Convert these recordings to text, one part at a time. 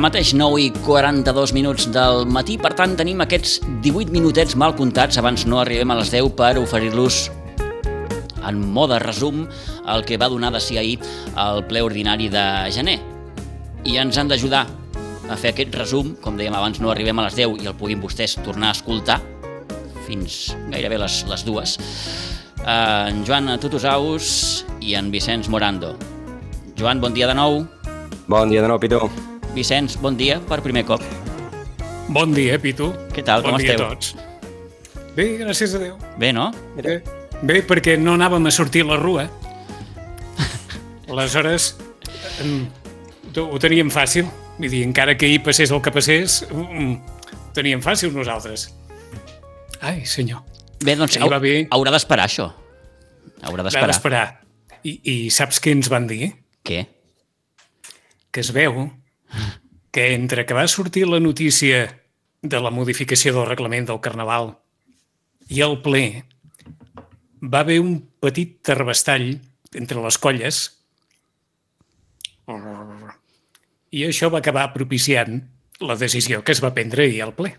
Ara mateix 9:42 del matí, per tant tenim aquests 18 minutets mal comptats, abans no arribem a les 10 per oferir-los en mode resum el que va donar de si ahir el ple ordinari de gener. I ens han d'ajudar a fer aquest resum, com dèiem abans, no arribem a les 10 i el puguin vostès tornar a escoltar fins gairebé les 2. En Joan Tutusaus i en Vicenç Morando. Joan, bon dia de nou. Bon dia de nou, Pitu. Vicenç, bon dia per primer cop. Bon dia, Pitu. Què tal, com esteu? Bon dia a tots. Bé, gràcies a Déu. Bé, no? Bé, perquè no anàvem a sortir a la rua. Aleshores, ho teníem fàcil. Vull dir, encara que ahir passés el que passés, ho teníem fàcil nosaltres. Ai, senyor. Bé, doncs haurà d'esperar això. Haurà d'esperar. I saps què ens van dir? Què? Que es veu que entre que va sortir la notícia de la modificació del reglament del Carnaval i el ple, va haver un petit terrabastall entre les colles i això va acabar propiciant la decisió que es va prendre ahir al ple.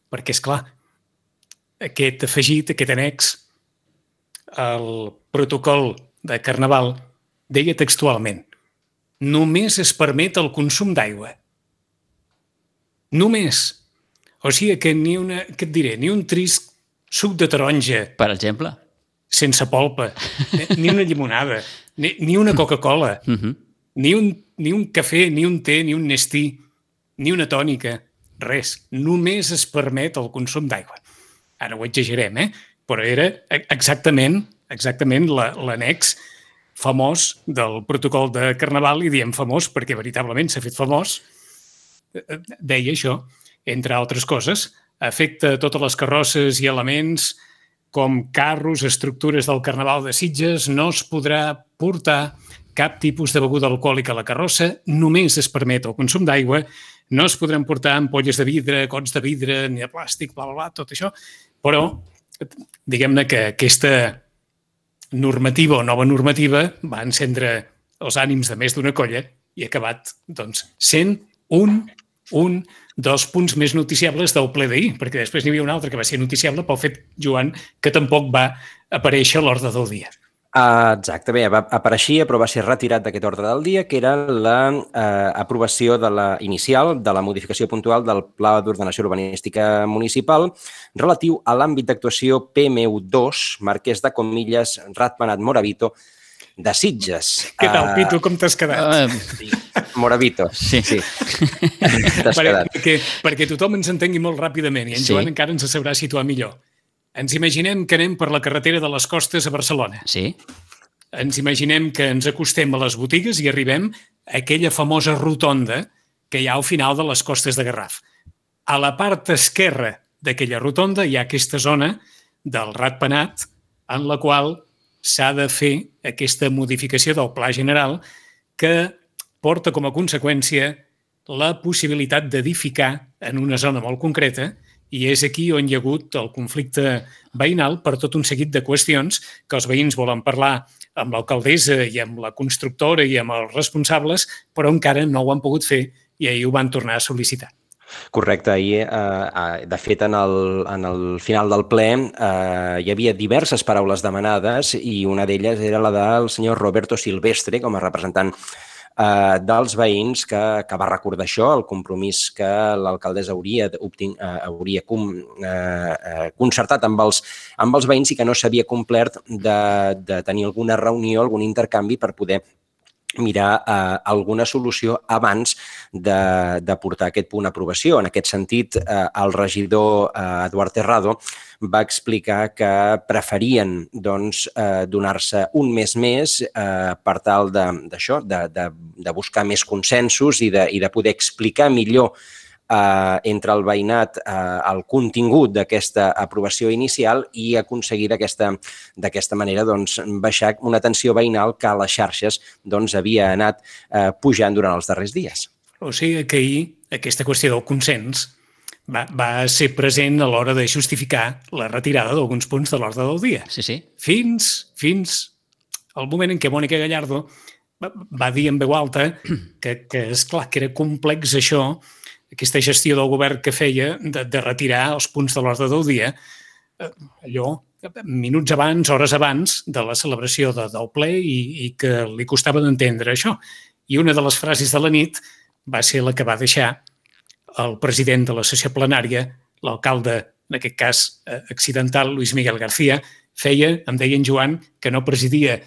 Perquè, és clar, aquest afegit, aquest annex al protocol de Carnaval deia textualment: només es permet el consum d'aigua. Només. O sigui que ni un trist suc de taronja, per exemple, sense polpa, ni una llimonada, ni una Coca-Cola, ni un cafè, ni un té, ni un Nestí, ni una tònica, res. Només es permet el consum d'aigua. Ara ho exagerem, però era exactament l'annex famós del protocol de Carnaval, i diem famós perquè veritablement s'ha fet famós. Deia això, entre altres coses, afecta totes les carrosses i elements com carros, estructures del Carnaval de Sitges, no es podrà portar cap tipus de beguda alcohòlica a la carrossa, només es permet el consum d'aigua, no es podran portar ampolles de vidre, gots de vidre, ni de plàstic, bla, bla, bla, tot això, però diguem-ne que aquesta normativa o nova normativa va encendre els ànims de més d'una colla i ha acabat, doncs, sent un dels punts més noticiables del ple d'ahir, perquè després n'hi havia un altre que va ser noticiable pel fet, Joan, que tampoc va aparèixer a l'ordre del dia. Exacte, bé, apareixia però va ser retirat d'aquest ordre del dia, que era l'aprovació inicial de la modificació puntual del Pla d'Ordenació Urbanística Municipal relatiu a l'àmbit d'actuació PMU2, Marquès de Comillas, Ratpenat, Moravito, de Sitges. Què tal, Pitu, com t'has quedat? Moravito, sí. T'has quedat. Perquè tothom ens entengui molt ràpidament i en Joan encara ens sabrà situar millor. Ens imaginem que anem per la carretera de les Costes a Barcelona. Sí. Ens imaginem que ens acostem a les botigues i arribem a aquella famosa rotonda que hi ha al final de les Costes de Garraf. A la part esquerra d'aquella rotonda hi ha aquesta zona del Ratpenat en la qual s'ha de fer aquesta modificació del Pla General que porta com a conseqüència la possibilitat d'edificar en una zona molt concreta, i és aquí on hi ha hagut el conflicte veïnal per tot un seguit de qüestions que els veïns volen parlar amb l'alcaldessa i amb la constructora i amb els responsables, però encara no ho han pogut fer i ahir ho van tornar a sol·licitar. Correcte, ahir, de fet, en el final del ple hi havia diverses paraules demanades i una d'elles era la del senyor Roberto Silvestre com a representant dels veïns que va recordar això, el compromís que l'alcaldessa hauria concertat amb els veïns i que no s'havia complert de tenir alguna reunió, algun intercanvi per poder mirar alguna solució abans de portar aquest punt a aprovació. En aquest sentit, el regidor Eduard Terrado va explicar que preferien donar-se un mes més per tal de buscar més consensos i de poder explicar millor entre el veïnat el contingut d'aquesta aprovació inicial i aconseguir d'aquesta manera baixar una tensió veïnal que a les xarxes havia anat pujant durant els darrers dies. O sigui que ahir aquesta qüestió del consens va ser present a l'hora de justificar la retirada d'alguns punts de l'ordre del dia. Sí. Fins al moment en què Mònica Gallardo va dir en veu alta que és clar que era complex això, aquesta gestió del govern que feia de retirar els punts de l'ordre del dia, allò, minuts abans, hores abans de la celebració del ple i que li costava d'entendre això. I una de les frases de la nit va ser la que va deixar el president de la sessió plenària, l'alcalde, en aquest cas accidental, Luis Miguel García, em deia en Joan, que no presidia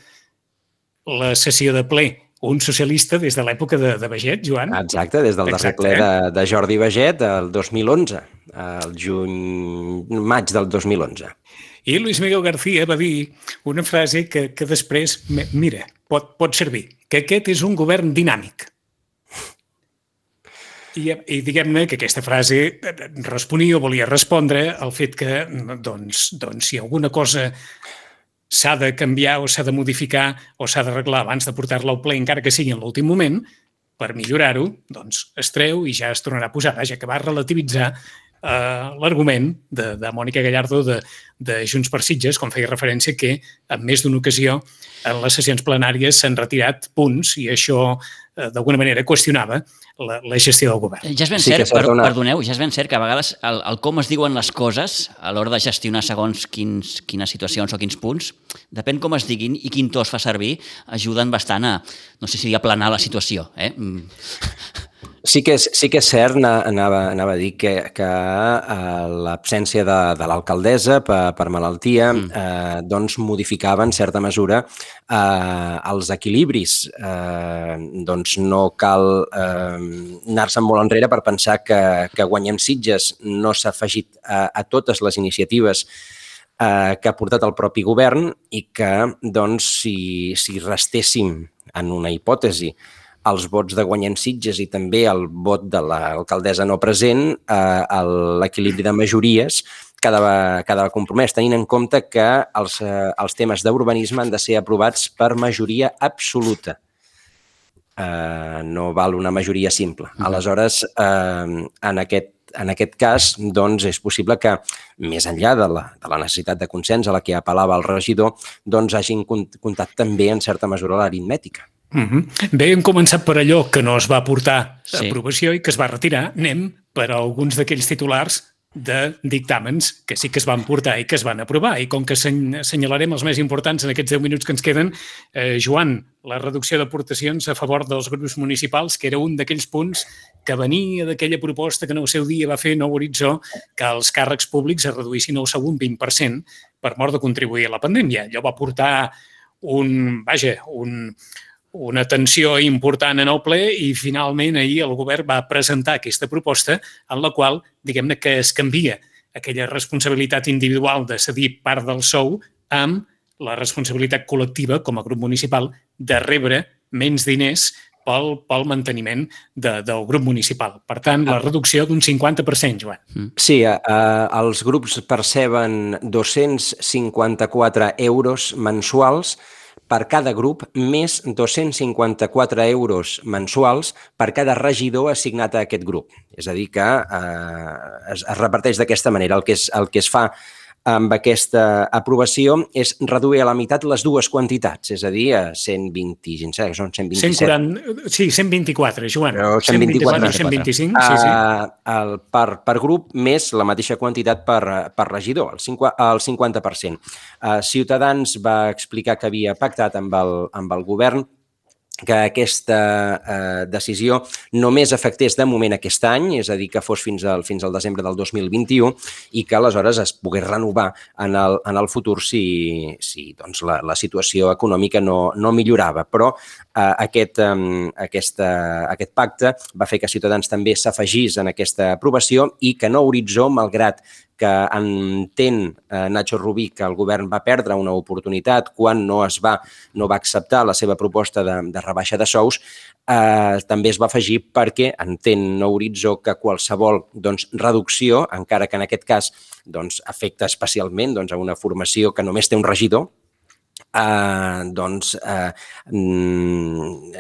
la sessió de ple un socialista des de l'època de Baget, Joan. Exacte, des del darrer ple de Jordi Baget, el 2011, el maig del 2011. I Luis Miguel García va dir una frase que després, mira, pot servir, que aquest és un govern dinàmic. I diguem-ne que aquesta frase responia o volia respondre al fet que, doncs, si alguna cosa s'ha de canviar o s'ha de modificar o s'ha d'arreglar abans de portar-la al ple, encara que sigui en l'últim moment, per millorar-ho, doncs es treu i ja es tornarà a posar, ja que va relativitzar l'argument de Mònica Gallardo de Junts per Sitges, com feia referència que en més d'una ocasió en les sessions plenàries s'han retirat punts i això d'alguna manera qüestionava la gestió del govern. Ja és ben cert, perdoneu, ja és ben cert que a vegades el com es diuen les coses a l'hora de gestionar segons quines situacions o quins punts, depèn com es diguin i quin to es fa servir, ajuden bastant a, no sé si dir, aplanar la situació. Sí que és cert, anava a dir que l'absència de l'alcaldessa per malaltia doncs modificava en certa mesura els equilibris. Doncs no cal anar-se'n molt enrere per pensar que Guanyem Sitges no s'ha afegit a totes les iniciatives que ha portat el propi govern i que, doncs, si restéssim en una hipòtesi els vots de Guanyem Sitges i també el vot de l'alcaldessa no present, l'equilibri de majories quedava compromès, tenint en compte que els temes d'urbanisme han de ser aprovats per majoria absoluta. No val una majoria simple. Aleshores, en aquest cas, doncs, és possible que, més enllà de la necessitat de consens a la que apel·lava el regidor, doncs hagin comptat també, en certa mesura, l'aritmètica. Bé, hem començat per allò que no es va portar a aprovació i que es va retirar. Anem per a alguns d'aquells titulars de dictàmens que sí que es van portar i que es van aprovar. I com que assenyalarem els més importants en aquests 10 minuts que ens queden, Joan, la reducció d'aportacions a favor dels grups municipals, que era un d'aquells punts que venia d'aquella proposta que en el seu dia va fer Nou Horitzó, que els càrrecs públics es reduïssin el segon 20% per mort de contribuir a la pandèmia. Allò va portar una tensió important en el ple i finalment ahir el govern va presentar aquesta proposta en la qual, diguem-ne, que es canvia aquella responsabilitat individual de cedir part del sou amb la responsabilitat col·lectiva com a grup municipal de rebre menys diners pel manteniment del grup municipal. Per tant, la reducció d'un 50%, Joan. Sí, els grups perceben 254 euros mensuals per cada grup, més 254 euros mensuals per cada regidor assignat a aquest grup. És a dir, que es reparteix d'aquesta manera. El que es fa amb aquesta aprovació és reduir a la meitat les dues quantitats, és a dir, 127, són 127. Sí, 124, Joan. 124, 125, sí. Per grup, més la mateixa quantitat per regidor, el 50%. Ciutadans va explicar que havia pactat amb el govern que aquesta decisió només afectés de moment aquest any, és a dir, que fos fins al desembre del 2021 i que aleshores es pogués renovar en el futur si doncs, la situació econòmica no millorava. Però aquest pacte va fer que Ciutadans també s'afegís en aquesta aprovació i que Nou Horitzó, malgrat que entén Nacho Rubí que el govern va perdre una oportunitat quan no va acceptar la seva proposta de rebaixa de sous, també es va afegir perquè entén Nou Horitzó que qualsevol reducció, encara que en aquest cas afecta especialment a una formació que només té un regidor,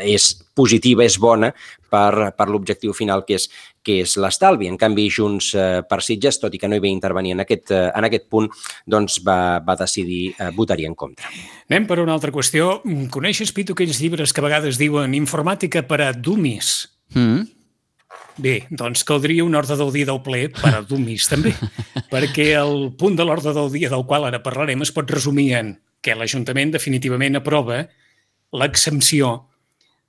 és positiva, és bona per l'objectiu final, que és l'estalvi. En canvi, Junts per Sitges, tot i que no hi va intervenir en aquest punt, doncs va decidir votar-hi en contra. Anem per una altra qüestió. Coneixes, Pitu, aquells llibres que a vegades diuen informàtica per a dummies? Bé, doncs caldria un ordre del dia del ple per a dummies, també, perquè el punt de l'ordre del dia del qual ara parlarem es pot resumir en que l'Ajuntament definitivament aprova l'exempció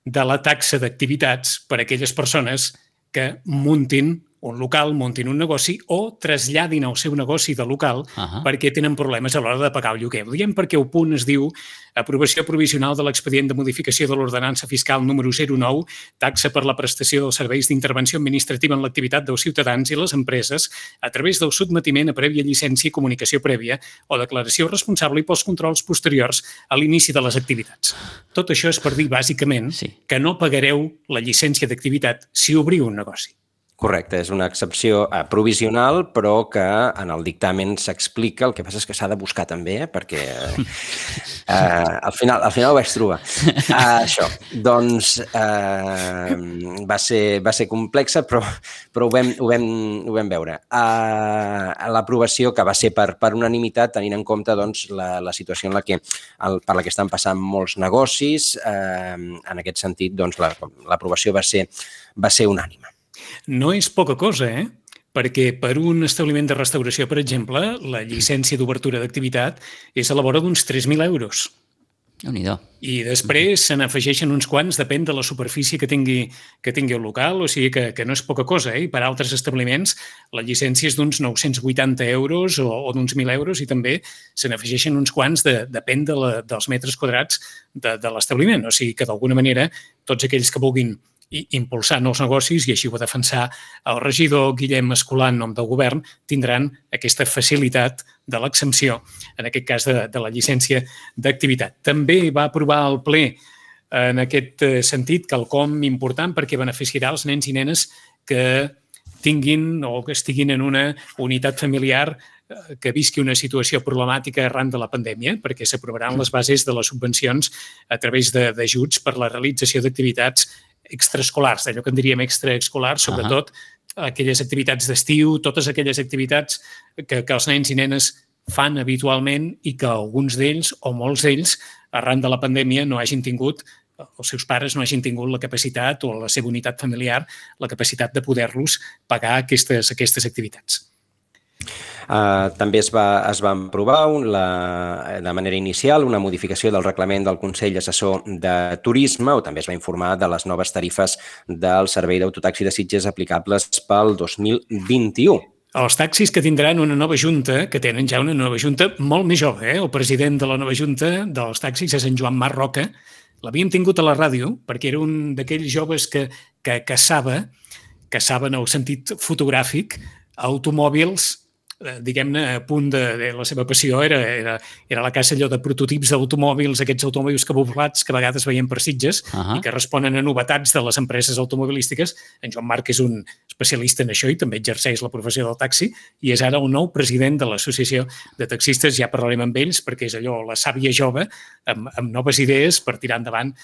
de la taxa d'activitats per a aquelles persones que muntin un local, muntin un negoci o traslladin el seu negoci de local perquè tenen problemes a l'hora de pagar el lloguer. Ho diem perquè el punt es diu aprovació provisional de l'expedient de modificació de l'ordenança fiscal número 09, taxa per la prestació dels serveis d'intervenció administrativa en l'activitat dels ciutadans i les empreses a través del sotmetiment a prèvia llicència i comunicació prèvia o declaració responsable i pels controls posteriors a l'inici de les activitats. Tot això és per dir, bàsicament, que no pagareu la llicència d'activitat si obriu un negoci. Correcte, és una excepció provisional, però que en el dictamen s'explica. El que passa és que s'ha de buscar també, perquè al final ho vaig trobar. Això, doncs va ser complexa, però ho vam veure. L'aprovació, que va ser per unanimitat, tenint en compte doncs, la situació per la que estan passant molts negocis, en aquest sentit, doncs, l'aprovació va ser unànime. No és poca cosa, perquè per un establiment de restauració, per exemple, la llicència d'obertura d'activitat és a la vora d'uns 3.000 euros. Déu-n'hi-do. I després se n'afegeixen uns quants, depèn de la superfície que tingui el local, o sigui que no és poca cosa. I per altres establiments la llicència és d'uns 980 euros o d'uns 1.000 euros i també se n'afegeixen uns quants, depèn dels metres quadrats de l'establiment. O sigui que d'alguna manera tots aquells que vulguin i impulsar nous negocis, i així ho va defensar el regidor Guillem Escolà en nom del govern, tindran aquesta facilitat de l'exempció, en aquest cas de la llicència d'activitat. També va aprovar el ple en aquest sentit quelcom important perquè beneficiarà els nens i nenes que tinguin o que estiguin en una unitat familiar que visqui una situació problemàtica arran de la pandèmia, perquè s'aprovaran les bases de les subvencions a través d'ajuts per la realització d'activitats extraescolars, d'allò que en diríem extraescolars, sobretot aquelles activitats d'estiu, totes aquelles activitats que els nens i nenes fan habitualment i que alguns d'ells o molts d'ells, arran de la pandèmia, no hagin tingut, els seus pares no hagin tingut la capacitat o la seva unitat familiar, la capacitat de poder-los pagar aquestes activitats. També es va aprovar de manera inicial una modificació del reglament del Consell Assessor de Turisme, o també es va informar de les noves tarifes del servei d'autotaxi de Sitges aplicables pel 2021. Els taxis que tindran una nova junta, que tenen ja una nova junta molt més jove. El president de la nova junta dels taxis és en Joan Mar Roca. L'havíem tingut a la ràdio perquè era un d'aquells joves que caçaven en el sentit fotogràfic automòbils, diguem-ne, a punt de la seva passió era la caça allò de prototips d'automòbils, aquests automòbils cabuplats que a vegades veiem per Sitges i que responen a novetats de les empreses automobilístiques. En Joan Marc és un especialista en això i també exerceix la professió del taxi i és ara el nou president de l'Associació de Taxistes. Ja parlarem amb ells perquè és allò, la sàvia jove amb noves idees per tirar endavant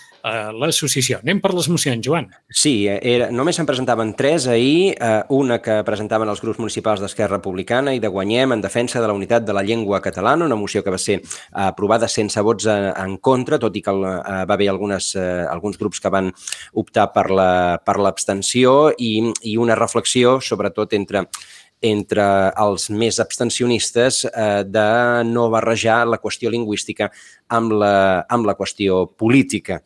l'associació. Anem per les mocions, Joan. Sí, només se'n presentaven 3 ahir, una que presentaven els grups municipals d'Esquerra Republicana i de Guanyem en defensa de la unitat de la llengua catalana, una moció que va ser aprovada sense vots en contra, tot i que va haver alguns grups que van optar per l'abstenció i una reflexió, sobretot entre els més abstencionistes, de no barrejar la qüestió lingüística amb la qüestió política.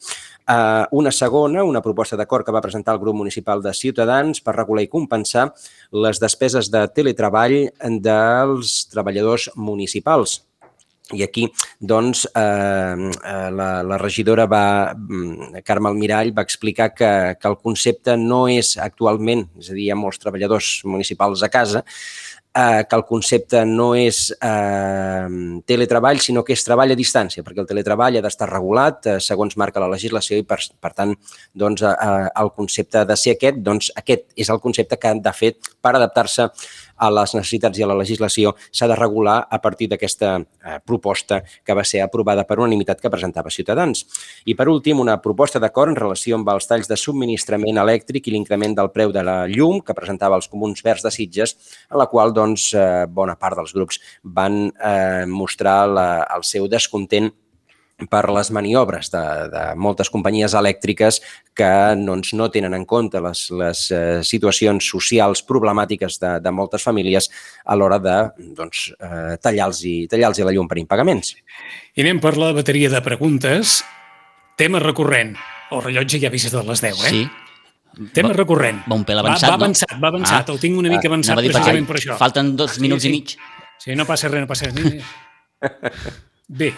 Una segona, una proposta d'acord que va presentar el grup municipal de Ciutadans per regular i compensar les despeses de teletreball dels treballadors municipals. I aquí, doncs, la regidora Carme Almirall va explicar que el concepte no és actualment, és a dir, hi ha molts treballadors municipals a casa, que el concepte no és teletreball, sinó que és treball a distància, perquè el teletreball ha d'estar regulat segons marca la legislació i, per tant, el concepte ha de ser aquest. Doncs aquest és el concepte que han de fer per adaptar-se a les necessitats i a la legislació s'ha de regular a partir d'aquesta proposta que va ser aprovada per unanimitat que presentava Ciutadans. I per últim, una proposta d'acord en relació amb els talls de subministrament elèctric i l'increment del preu de la llum que presentava els Comuns Verds de Sitges, en la qual bona part dels grups van mostrar el seu descontent per les maniobres de moltes companyies elèctriques que no tenen en compte les situacions socials problemàtiques de moltes famílies a l'hora de tallar-los la llum per impagaments. I anem per la bateria de preguntes. Tema recurrent. El rellotge ja ha vist de les 10, eh? Sí. Tema recurrent. Va un pèl avançat, no? Va avançat. El tinc una mica avançat precisament per això. Falten 2 minuts i mig. Sí, no passa res, no passa res. Bé,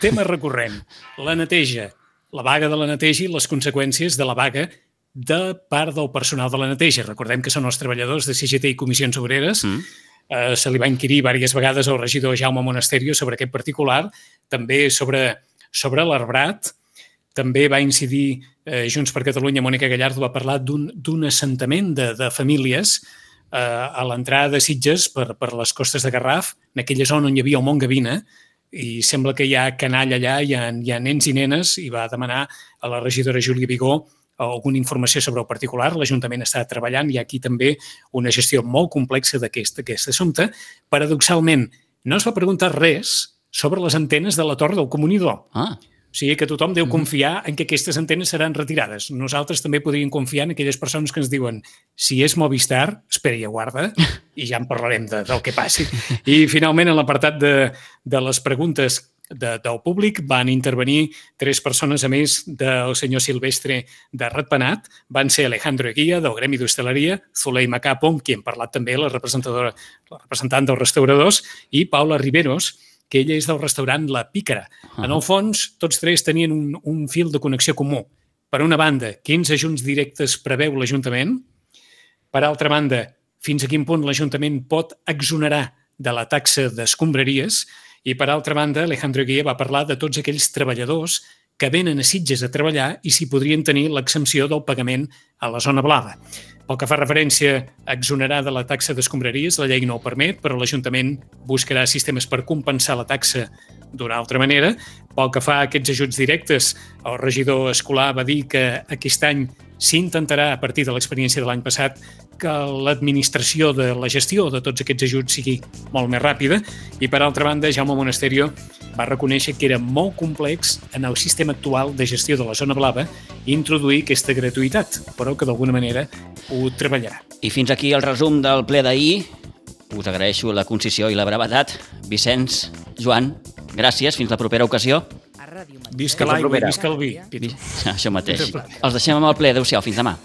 tema recurrent. La neteja. La vaga de la neteja i les conseqüències de la vaga de part del personal de la neteja. Recordem que són els treballadors de CGT i Comissions Obreres. Se li va inquirir diverses vegades al regidor Jaume Monasterio sobre aquest particular, també sobre l'arbrat. També va incidir Junts per Catalunya, Mònica Gallardo va parlar d'un assentament de famílies a l'entrada de Sitges per les costes de Garraf, en aquella zona on hi havia el Mont Gavina, i sembla que hi ha canalla allà, hi ha nens i nenes, i va demanar a la regidora Júlia Vigó alguna informació sobre el particular. L'Ajuntament està treballant, hi ha aquí també una gestió molt complexa d'aquest assumpte. Paradoxalment, no es va preguntar res sobre les antenes de la Torre del Comunidor. O sigui que tothom deu confiar en que aquestes antenes seran retirades. Nosaltres també podríem confiar en aquelles persones que ens diuen si és Movistar, espera i aguarda, i ja en parlarem del que passi. I finalment, en l'apartat de les preguntes del públic van intervenir 3 persones a més del senyor Silvestre de Ratpenat. Van ser Alejandro Eguía, del Gremi d'Hostaleria, Zuleima Capo, qui hem parlat també, la representant dels restauradors, i Paula Riveros, que ella és del restaurant La Pícara. En el fons, tots 3 tenien un fil de connexió comú. Per una banda, quins ajuts directes preveu l'Ajuntament? Per altra banda, fins a quin punt l'Ajuntament pot exonerar de la taxa d'escombraries? I per altra banda, Alejandro Guia va parlar de tots aquells treballadors que venen a Sitges a treballar i si podrien tenir l'exempció del pagament a la zona blava. Pel que fa referència a exonerar de la taxa d'escombraries, la llei no ho permet, però l'Ajuntament buscarà sistemes per compensar la taxa d'una altra manera. Pel que fa a aquests ajuts directes, el regidor Escolà va dir que aquest any s'intentarà, a partir de l'experiència de l'any passat, que l'administració de la gestió de tots aquests ajuts sigui molt més ràpida. I, per altra banda, Jaume Monasterio va reconèixer que era molt complex en el sistema actual de gestió de la zona blava introduir aquesta gratuïtat, però que d'alguna manera ho treballarà. I fins aquí el resum del ple d'ahir. Us agraeixo la concisió i la brevetat. Vicenç, Joan, gràcies. Fins la propera ocasió. Visca l'aigua i visca el vi. Això mateix. Els deixem amb el ple. Adéu-siau. Fins demà.